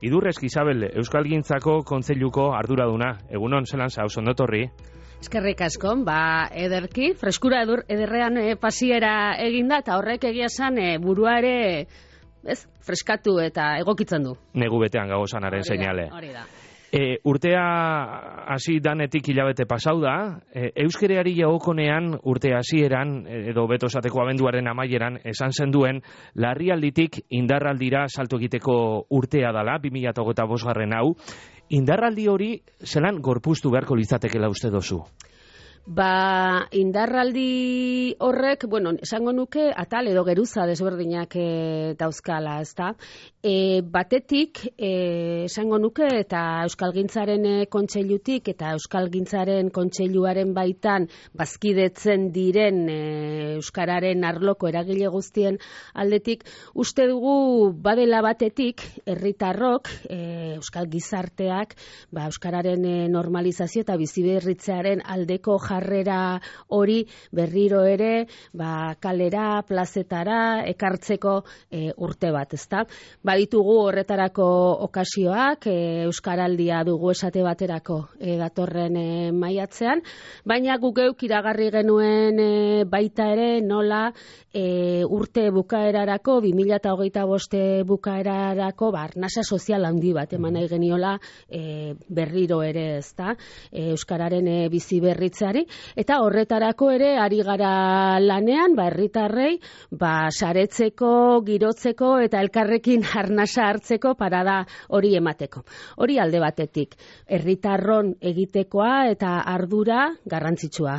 Idurrezki Isabel, Euskalgintzako Kontseiluko arduraduna. Egunon, zelan zauz, ondotorri? Eskerrik asko, ederki, freskura ederrean pasiera eginda, eta horrek egia esan burua ere freskatu eta egokitzen du. Negu betean gagozanaren seinale. Hori da. Urtea hasi danetik hilabete pasau da, euskereari jagokonean urte hasieran edo beto esateko abenduaren amaieran esan zenduen larrialditik indarraldira salto egiteko urtea dala, 2025 hau. Indarraldi hori zelan gorpuztu beharko litzatekeela uste dozu? Indarraldi horrek, esango nuke, atal edo geruza desberdinak dauzkala, ezta? Batetik, esango nuke, eta Euskalgintzaren kontseilutik eta Euskalgintzaren kontseiluaren baitan bazkidetzen diren euskararen arloko eragile guztien aldetik, uste dugu badela batetik herritarrok, euskal gizarteak, euskararen normalizazio eta biziberritzearen aldeko jarrera hori berriro ere kalera, plazetara ekartzeko urte bat, ezta? Baditugu horretarako okasioak, euskaraldia dugu esate baterako datorren maiatzean, baina guk geuk iragarri genuen baita ere nola urte bukaerarako, 2025 bukaerarako arnasa sozial handi bat eman nahi geniola berriro ere, ezta? Euskararen biziberritzeari, eta horretarako ere ari gara lanean, herritarrei saretzeko, girotzeko eta elkarrekin arnasa hartzeko parada hori emateko. Hori alde batetik, herritarron egitekoa eta ardura garrantzitsua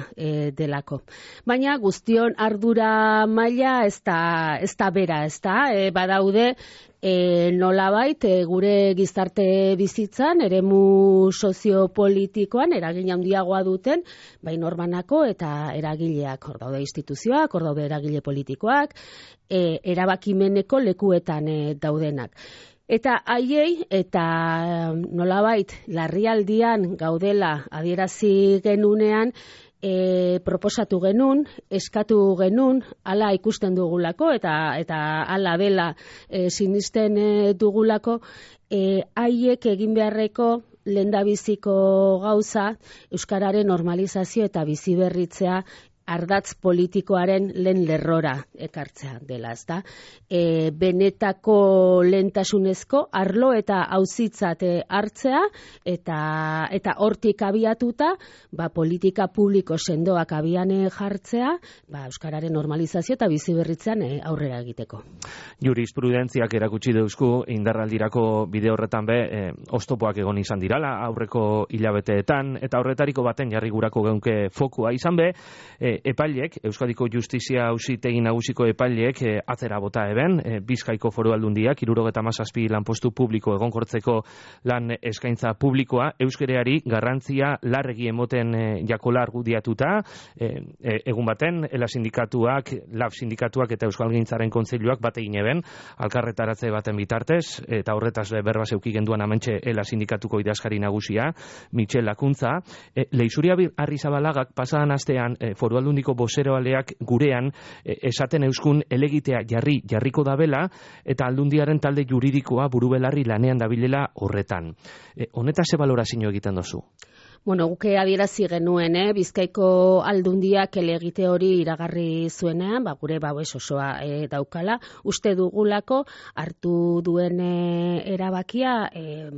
delako. Baina guztion ardura maila ez da bera, ez da? Badaude nolabait gure gizarte bizitzan, eremu soziopolitikoan eragin handiagoa duten, bai norbanako eta eragileak, hor daude instituzioak, hor daude eragile politikoak, erabakimeneko lekuetan daudenak. Eta haiei, eta nolabait larrialdian gaudela adierazi genunean, proposatu genuen, eskatu genuen, hala ikusten dugulako eta hala dela sinisten dugulako, haiek egin beharreko lehendabiziko gauza euskararen normalizazio eta biziberritzea ardatz politikoaren lehen lerrora ekartzea dela, ezta? Benetako lehentasunezko arlo eta auzitzat hartzea eta hortik abiatuta politika publiko sendoak abian jartzea euskararen normalizazio eta biziberritzean aurrera egiteko. Jurisprudentziak erakutsi deuzku indarraldirako bide horretan oztopoak egon izan dirala aurreko hilabeteetan, eta horretariko baten jarri gurako geunke fokua izan epaileek, Euskadiko Justizia Auzitegi Nagusiko epaileek atzera bota eben, Bizkaiko Foru Aldundiak 77 lanpostu publiko egonkortzeko lan eskaintza publikoa euskereari garrantzia larregi emoten jakola argudiatuta, egun baten LAB sindikatuak eta Euskalgintzaren Kontseiluak bat egin eben, alkarretaratze baten bitartez, eta horretaz berba zeuki genduan amentxe LAB sindikatuko idazkari nagusia, Michel Lakuntza, Leixuria Arrizabalagak pasadan astean Foru Aldundiko bozeroaleak gurean esaten euskun elegitea jarriko dabela eta Aldundiaren talde juridikoa burubelarri lanean dabilela horretan. Honetaz ze balorazio egiten dozu? Guke adierazi genuen, Bizkaiko Aldundiak elegite hori iragarri zuenean, gure babes osoa daukala. Uste dugulako hartu duen erabakia,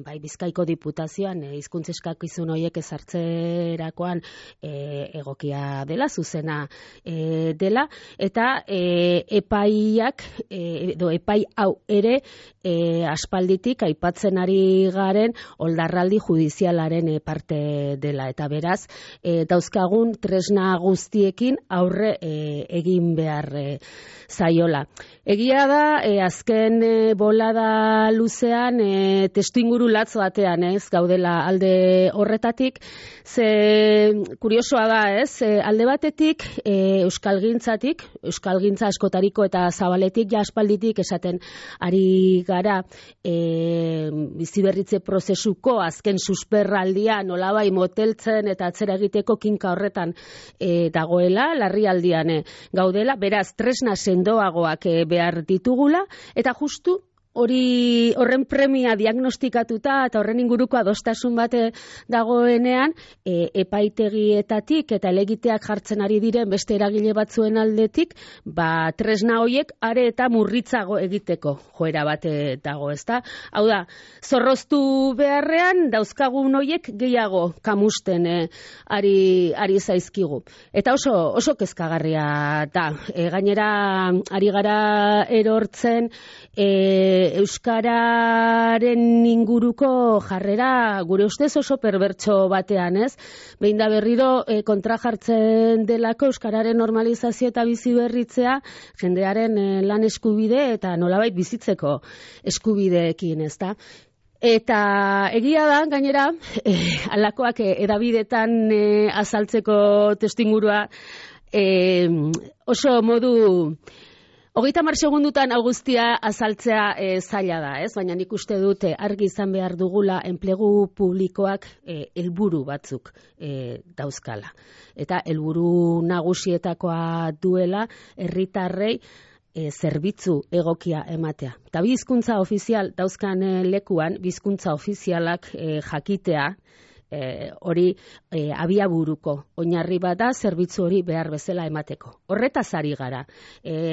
bai Bizkaiko Diputazioan hizkuntza eskakizun horiek ezartzerakoan egokia dela, zuzena dela, eta epaiak, epai hau ere aspalditik aipatzen ari garen oldarraldi judizialaren parte dela, eta beraz dauzkagun tresna guztiekin aurre egin behar zaiola. Egia da, azken bolada luzean testuinguru latz batean gaudela alde horretatik, ze kuriosoa da, alde batetik Euskalgintzatik, Euskalgintza askotariko eta zabaletik aspalditik esaten ari gara biziberritze prozesuko azken susperraldia nolabai moteltzen eta atzera egiteko kinka horretan dagoela, larrialdian gaudela, beraz tresna sendoagoak behar ditugula, eta justu horren premia diagnostikatuta eta horren inguruko adostasun bate dagoenean, epaitegietatik eta helegiteak jartzen ari diren beste eragile batzuen aldetik, tresna hoiek are eta murritzago egiteko joera bate dago, ezta? Hau da, zorroztu beharrean dauzkagun hoiek gehiago kamusten ari zaizkigu. Eta oso kezkagarria da. Gainera, ari gara erortzen euskararen inguruko jarrera gure ustez oso perbertso batean, ez? Behin da berriro kontra jartzen delako euskararen normalizazio eta bizi berritzea jendearen lan eskubide eta nolabait bizitzeko eskubideekin, ezta? Eta egia da, gainera, halakoak edabidetan azaltzeko testingurua oso modu 30 segundutan guztia azaltzea zaila da, ez? Baina nik uste dute argi izan behar dugula enplegu publikoak helburu batzuk dauzkala. Eta helburu nagusietakoa duela herritarrei zerbitzu egokia ematea. Eta bi hizkuntza ofizial dauzkan lekuan, bi hizkuntza ofizialak jakitea, hori abiaburuko oinarri bat da zerbitzu hori behar bezala emateko. Horretaz ari gara.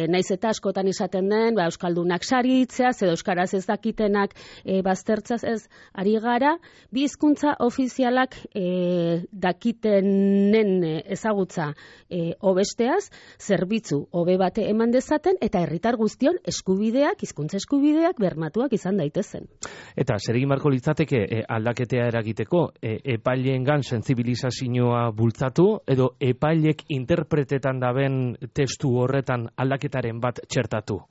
Naiz eta askotan izaten den, euskaldunak saritzea, edo euskaraz ez dakitenak baztertzaz ez ari gara, bi hizkuntza ofizialak dakitenen ezagutza hobesteaz, zerbitzu hobe bate eman dezaten, eta herritar guztion eskubideak, hizkuntza eskubideak bermatuak izan daitezen. Eta zer egin beharko litzateke aldaketea eragiteko, epaileengan sentsibilizazioa bultzatu edo epailek interpretetan daben testu horretan aldaketaren bat txertatu?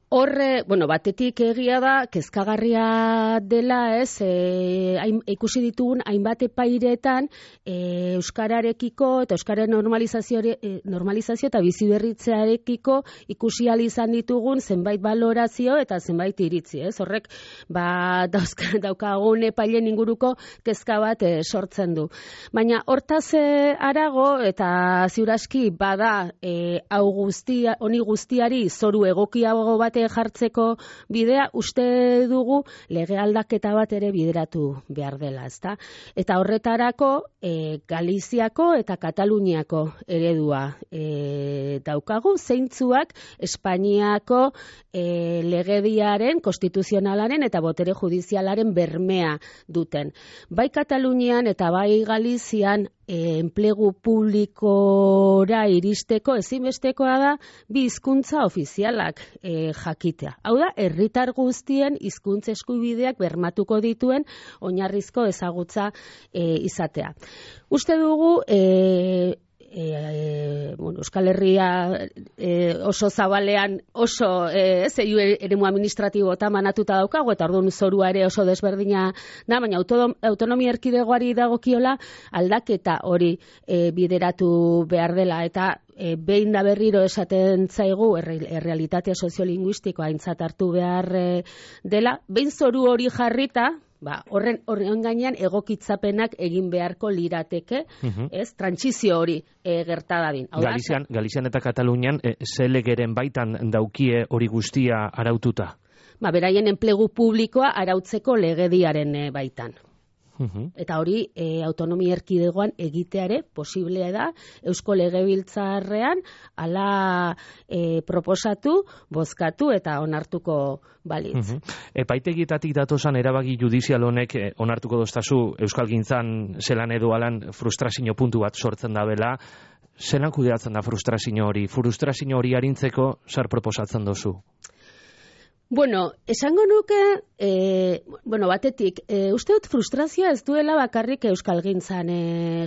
Horre, batetik egia da, kezkagarria dela, ez, ikusi ditugun hainbat epairetan euskararekiko eta euskaren normalizazio eta biziberritzearekiko ikusi ahal izan ditugun zenbait balorazio eta zenbait iritzi, ez? Horrek, daukagun epailen inguruko kezka bat sortzen du. Baina hortaz harago eta ziuraski bada honi guztiari zoru egokiago bat jartzeko bidea, uste dugu lege aldaketa bat ere bideratu behar dela, ezta? Eta horretarako Galiziako eta Kataluniako eredua daukagu, zeintzuak Espainiako legediaren, konstituzionalaren eta botere judizialaren bermea duten. Bai Katalunian eta bai Galizian enplegu publikora iristeko ezinbestekoa da bi hizkuntza ofizialak jakitea. Hau da, herritar guztien hizkuntza eskubideak bermatuko dituen oinarrizko ezagutza izatea. Uste dugu Euskal Herria oso zabalean oso eremu administratibo eta manatuta daukago, eta orduan zorua ere oso desberdina da, baina autonomia erkidegoari dagokiola aldaketa hori bideratu behar dela, eta behin da berriro esaten zaigu errealitatea soziolinguistikoa aintzat hartu behar dela, behin zoru hori jarrita, horren gainean egokitzapenak egin beharko lirateke, ez, trantsizio hori gerta dadin. Galizian eta Katalunian ze legeren baitan daukie hori guztia araututa? Beraien enplegu publikoa arautzeko legediaren baitan. Eta hori autonomia erkidegoan egiteare posible da Eusko Legebiltzarrean hala proposatu, bozkatu eta onartuko balitz. Epaitegietatik datosan erabaki judizial honek onartuko doztazu euskalgintzan zelan edo alan frustrazio puntu bat sortzen da bela. Zelan kudeatzen da frustrazio hori? Frustrazio hori arintzeko zer proposatzen dozu? Esango nuke, batetik, uste dut frustrazioa ez duela bakarrik euskalgintzan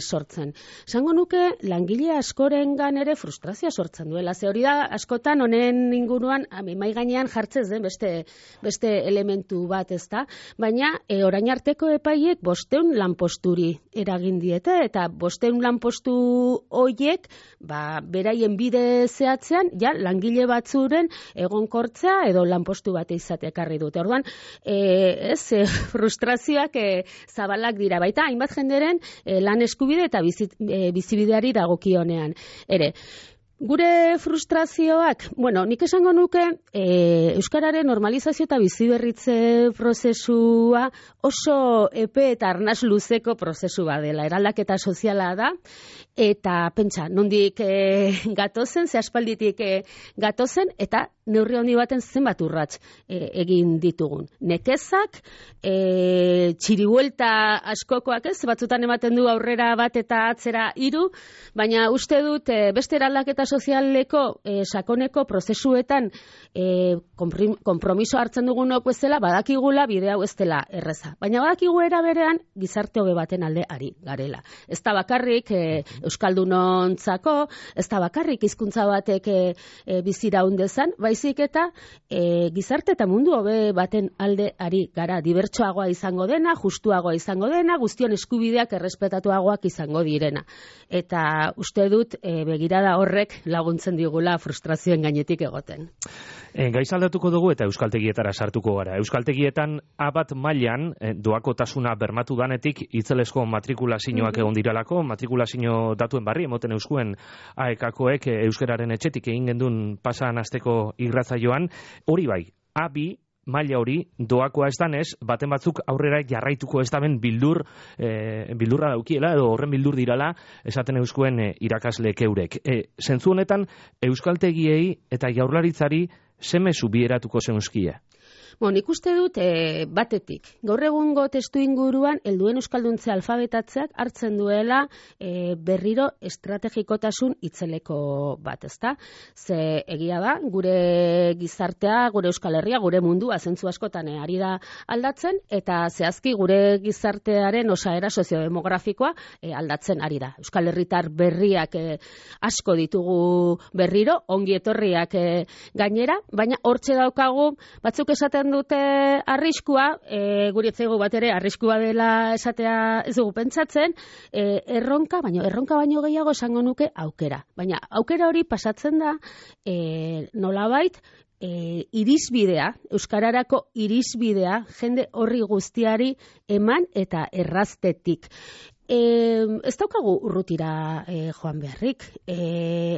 sortzen. Esango nuke, langile askorengan ere frustrazioa sortzen duela. Ze hori da, askotan honen inguruan, mai gainean jartzez den beste elementu bat, ezta? Baina, orain arteko epaiek 500 lanposturi eragin diete, eta 500 lanpostu hoiek, beraien bide zehatzean, langile batzuren egonkortzea edo lanpostu bat izatea ekarri dute. Orduan, frustrazioak zabalak dira. Baita, hainbat jenderen lan eskubide eta bizibideari dagokionean. Ere, Gure frustrazioak, bueno, nik esango nuke euskararen normalizazio eta biziberritze prozesua oso epe eta arnas luzeko prozesu bat dela. Eraldaketa soziala da, eta pentsa, nondik gatozen, ze aspalditik gatozen, eta neurri handi baten zenbat urrats egin ditugun. Nekezak, txiribuelta askokoak ez, batzutan ematen du aurrera bat eta atzera 3, baina uste dut beste eraldaketa sozialeko sakoneko prozesuetan konpromiso hartzen dugunok bezala, badakigula bide hau ez dela erreza. Baina badakigu era berean gizarte hobe baten alde ari garela. Ez da bakarrik euskaldunontzako, ez da bakarrik hizkuntza batek biziraun dezan, baizik eta gizarte eta mundu hobe baten alde ari gara. Dibertsoagoa izango dena, justuagoa izango dena, guztion eskubideak errespetatuagoak izango direna. Eta uste dut begirada horrek laguntzen digula frustrazioen gainetik egoten. Gaizaldatuko dugu eta euskaltegietara sartuko gara. Euskaltegietan A1 mailan doakotasuna bermatu danetik itzelesko matrikulazioak egon diralako, matrikulazio datuen barri emoten euskuen AEK-koek euskararen etxetik egin gendun pasan asteko irratzaioan, hori bai, A2 maila hori doakoa ez danez, baten batzuk aurrera jarraituko ez daben bildurra daukiela, edo horren bildur dirala, esaten euskuen irakasleek eurek. Zentzu honetan, euskaltegiei eta jaurlaritzari zemezu bieratuko zeuzkie? Nik uste dut batetik. Gaur egungo testu inguruan helduen euskalduntze alfabetatzeak hartzen duela berriro estrategikotasun itzeleko bat, ezta? Ze egia da, gure gizartea, gure Euskal Herria, gure mundua zentzu askotan ari da aldatzen, eta zehazki gure gizartearen osaera soziodemografikoa aldatzen ari da. Euskal Herritar berriak asko ditugu berriro, ongi etorriak gainera, baina hortxe daukagu, batzuk esaten dute arriskua, guri etzaigu bat ere arriskua dela esatea ez dugu pentsatzen, erronka baino gehiago esango nuke aukera. Baina aukera hori pasatzen da nolabait irisbidea, euskararako irisbidea, jende horri guztiari eman eta erraztetik. Ez daukagu urrutira joan beharrik.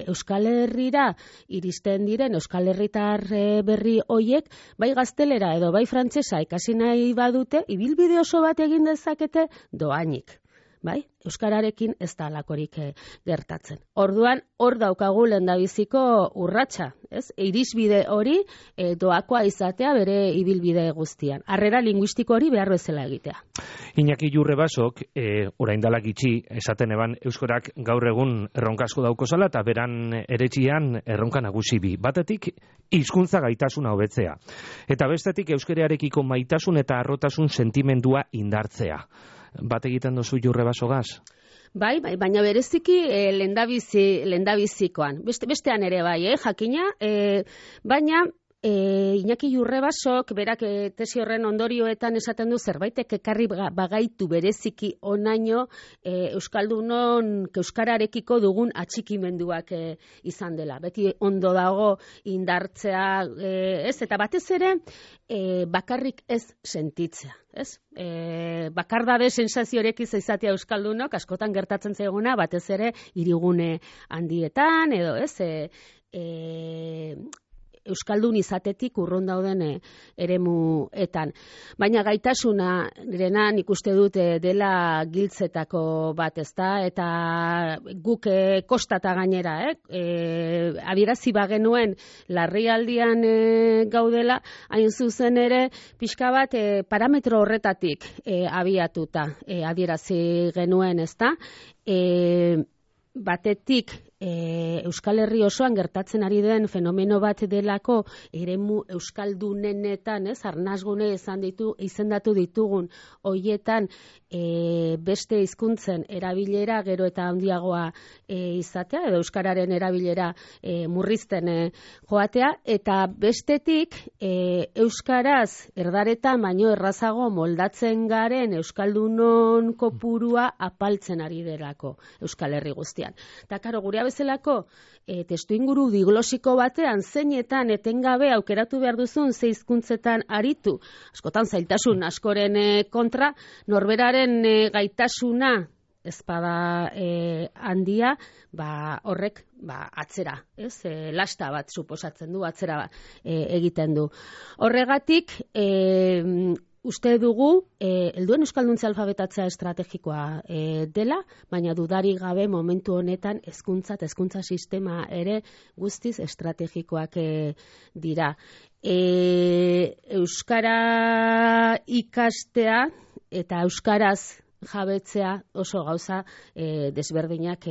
Euskal Herrira iristen diren Euskal Herritar berri hoiek, bai gaztelera edo bai frantsesa ikasi nahi badute, ibilbide oso bat egin dezakete dohainik. Bai, euskararekin ez da alakorik gertatzen. Orduan, hor daukagu lehendabiziko urratsa, ez? Irisbide hori doakoa izatea bere ibilbide guztian. Harrera linguistiko hori behar bezala egitea. Iñaki Jurrebasok, orain dela gitxi, esaten eban euskarak gaur egun erronka asko daukozala eta beran eretxian erronka nagusi bi. Batetik, hizkuntza gaitasuna hobetzea. Eta bestetik, euskararekiko maitasun eta harrotasun sentimendua indartzea. Bat egiten duzu Jurrebasogaz? Bai, baina bereziki lendabizikoan. Bestean ere bai, jakina, baina Iñaki Jurrebasok berak tesi horren ondorioetan esaten du zerbaitek ekarri bagaitu bereziki onaino euskaldunon euskararekiko dugun atxikimenduak izan dela. Beti ondo dago indartzea, ez? Eta batez ere bakarrik ez sentitzea, ez? Bakardabe sensaziorekin izatea euskaldunok askotan gertatzen zaiguna, batez ere hirigune handietan edo, ez? Euskaldun izatetik urrun dauden eremuetan. Baina gaitasuna nik uste dut dela giltzetako bat, ezta? Eta guk kostata gainera, adierazi bagenuen larrialdian gaudela, hain zuzen ere pixka bat parametro horretatik abiatuta adierazi genuen, ezta? Batetik Euskal Herri osoan gertatzen ari den fenomeno bat delako eremu euskaldunenetan, arnasgune izendatu ditugun hoietan beste hizkuntzen erabilera gero eta handiagoa izatea edo euskararen erabilera murrizten joatea, eta bestetik euskaraz erdaretan baino errazago moldatzen garen euskaldunon kopurua apaltzen ari delako Euskal Herri guztian. Eta karo, gure bezalako testu inguru diglosiko batean zeinetan etengabe aukeratu behar duzun ze hizkuntzetan aritu, askotan zailtasun askoren kontra, norberaren gaitasuna ezpada handia, horrek atzera, lasta bat suposatzen du, atzera egiten du. Horregatik, uste dugu, helduen euskalduntza alfabetatzea estrategikoa dela, baina dudarik gabe momentu honetan hezkuntza sistema ere guztiz estrategikoak dira. Euskara ikastea eta euskaraz jabetzea oso gauza desberdinak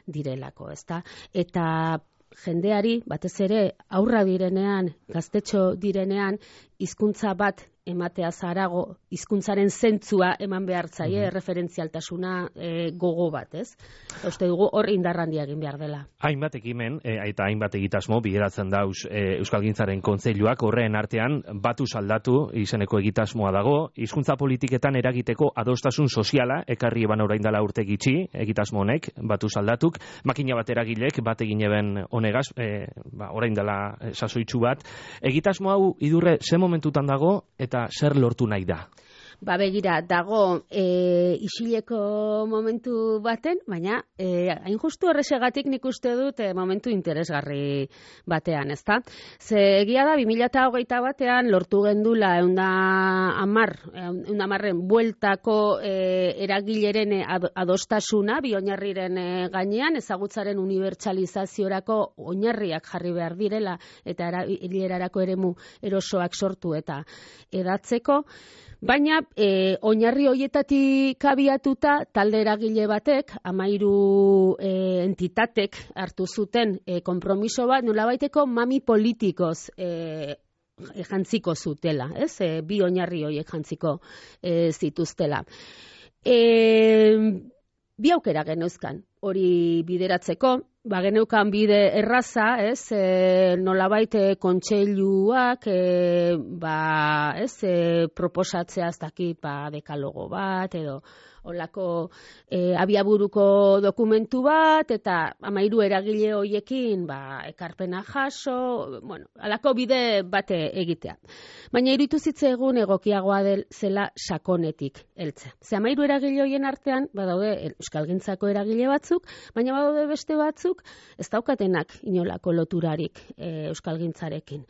direlako, ezta? Eta jendeari, batez ere, aurra direnean, gaztetxo direnean, hizkuntza bat ematea zarago, hizkuntzaren zentzua eman behar zaie, referentzialtasuna gogo bat, ez? Uste dugu hor indarrandia egin behar dela. Hainbat ekimen eta hainbat egitasmo bideratzen dauz Euskalgintzaren Kontseiluak, horren artean batu saldatu izeneko egitasmoa dago, hizkuntza politiketan eragiteko adostasun soziala ekarri eban orain dela urte gitxi, egitasmo honek, batu saldatuk, makina bat eragilek bat egin eben honegaz, orain dela sasoitzu bat. Egitasmo hau idurre ze momentutan dago eta zer lortu nahi da? Begira, dago isileko momentu baten, baina hain justu horresegatik nik uste dut momentu interesgarri batean, ezta? Ze egia da, 2021 batean lortu gendula 110 bueltako eragileren adostasuna, bi oinarriren gainean, ezagutzaren unibertsalizaziorako oinarriak jarri behar direla, eta erabilerarako eremu erosoak sortu eta edatzeko. Baina, oinarri hoietatik abiatuta, talde eragile batek, 13 entitatek hartu zuten konpromiso bat, nolabaiteko mami politikoz jantziko zutela, ez? Bi oinarri hoiek jantziko zituztela. Bi aukera geneuzkan hori bideratzeko, geneukan bide erraza, ez, nolabait kontseiluak, proposatzea ez dakit, dekalogo bat, edo olako abiaburuko dokumentu bat, eta 13 eragile hoiekin ekarpena jaso, alako bide bate egitea. Baina iruditu zitzaigun egokiagoa zela sakonetik heltzea. Ze 13 eragile hoien artean, badaude Euskalgintzako eragile batzuk, baina badaude beste batzuk, ez daukatenak inolako loturarik Euskalgintzarekin.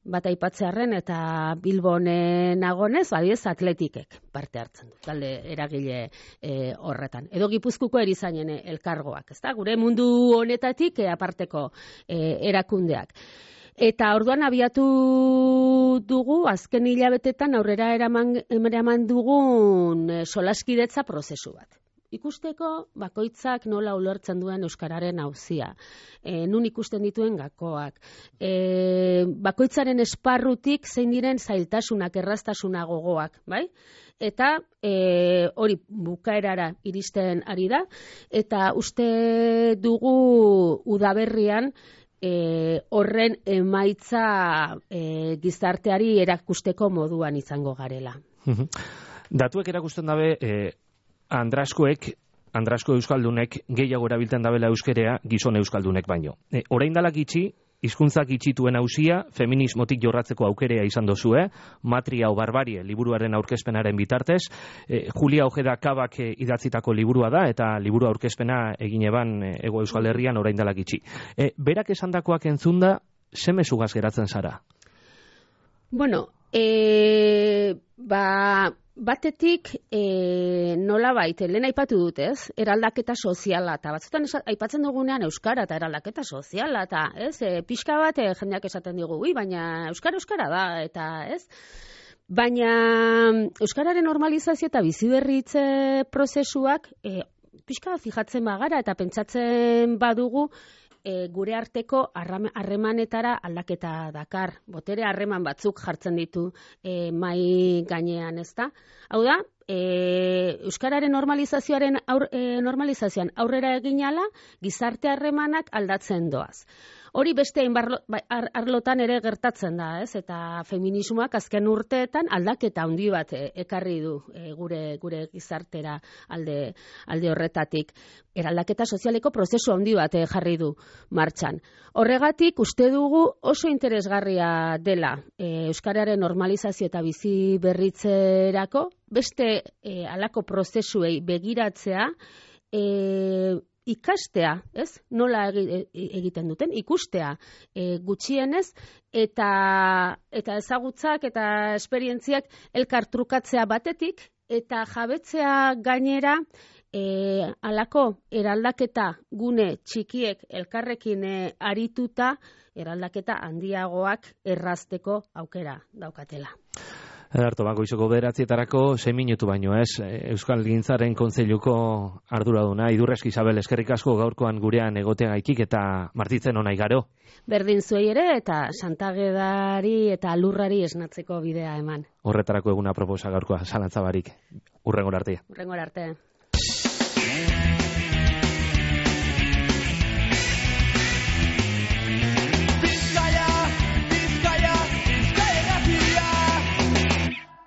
Bat aipatzearren eta Bilbon nagonez, atletikek parte hartzen du, talde eragile horretan. Edo Gipuzkoako erizainen elkargoak, ezta? Gure mundu honetatik aparteko erakundeak. Eta orduan abiatu dugu, azken hilabetetan aurrera eraman dugun solaskidetza prozesu bat. Ikusteko bakoitzak nola ulertzen duen euskararen auzia, nun ikusten dituen gakoak, bakoitzaren esparrutik zein diren zailtasunak, erraztasuna gogoak, bai? Eta hori bukaerara iristen ari da, eta uste dugu udaberrian horren emaitza gizarteari erakusteko moduan izango garela. Datuek erakusten dabe, Andrasko euskaldunek gehiago erabiltzen dabela euskerea gizon euskaldunek baino. Orain dela gitxi, hizkuntzak itxituen auzia, feminismotik jorratzeko aukerea izan dozue, Matria o Barbarie liburuaren aurkezpenaren bitartez, Julia Ojeda Kabak idatzitako liburua da, eta liburu aurkezpena egin eban Hego Euskal Herrian orain dela gitxi. Berak esandakoak entzunda, ze mezugaz geratzen zara? Bueno, batetik nolabait, lehen aipatu dut, ez? Eraldaketa soziala, eta batzutan aipatzen dugunean euskara eta eraldaketa soziala, eta pixka bat jendeak esaten digu, baina euskara da, eta ez? Baina euskararen normalizazio eta biziberritze prozesuak pixka fijatzen bagara eta pentsatzen badugu gure arteko harremanetara aldaketa dakar. Botere harreman batzuk jartzen ditu mai gainean, ezta? Hau da, euskararen normalizazioan aurrera eginala, gizarte harremanak aldatzen doaz. Hori beste arlotan ere gertatzen da, ez? Eta feminismoak azken urteetan aldaketa handi bat ekarri du gure gizartera alde horretatik. Eraldaketa sozialeko prozesu handi bat jarri du martxan. Horregatik uste dugu oso interesgarria dela euskararen normalizazio eta bizi berritzerako beste halako prozesuei begiratzea ikastea, ez? Nola egiten duten, ikustea gutxienez, eta ezagutzak eta esperientziak elkar trukatzea batetik, eta jabetzea gainera halako eraldaketa gune txikiek elkarrekin arituta, eraldaketa handiagoak errazteko aukera daukatela. Ederto, goizeko 9:00 6 minutu baino ez, Euskal Gintzaren Kontseiluko arduraduna, Idurreski Isabel, eskerrik asko gaurkoan gurean egoteagaitik eta martitzen ona igaro. Berdin zuei ere eta Santagedari eta Lurrari esnatzeko bidea eman. Horretarako eguna proposa gaurkoa, zalantza barik. Hurrengora arte. Hurrengora arte.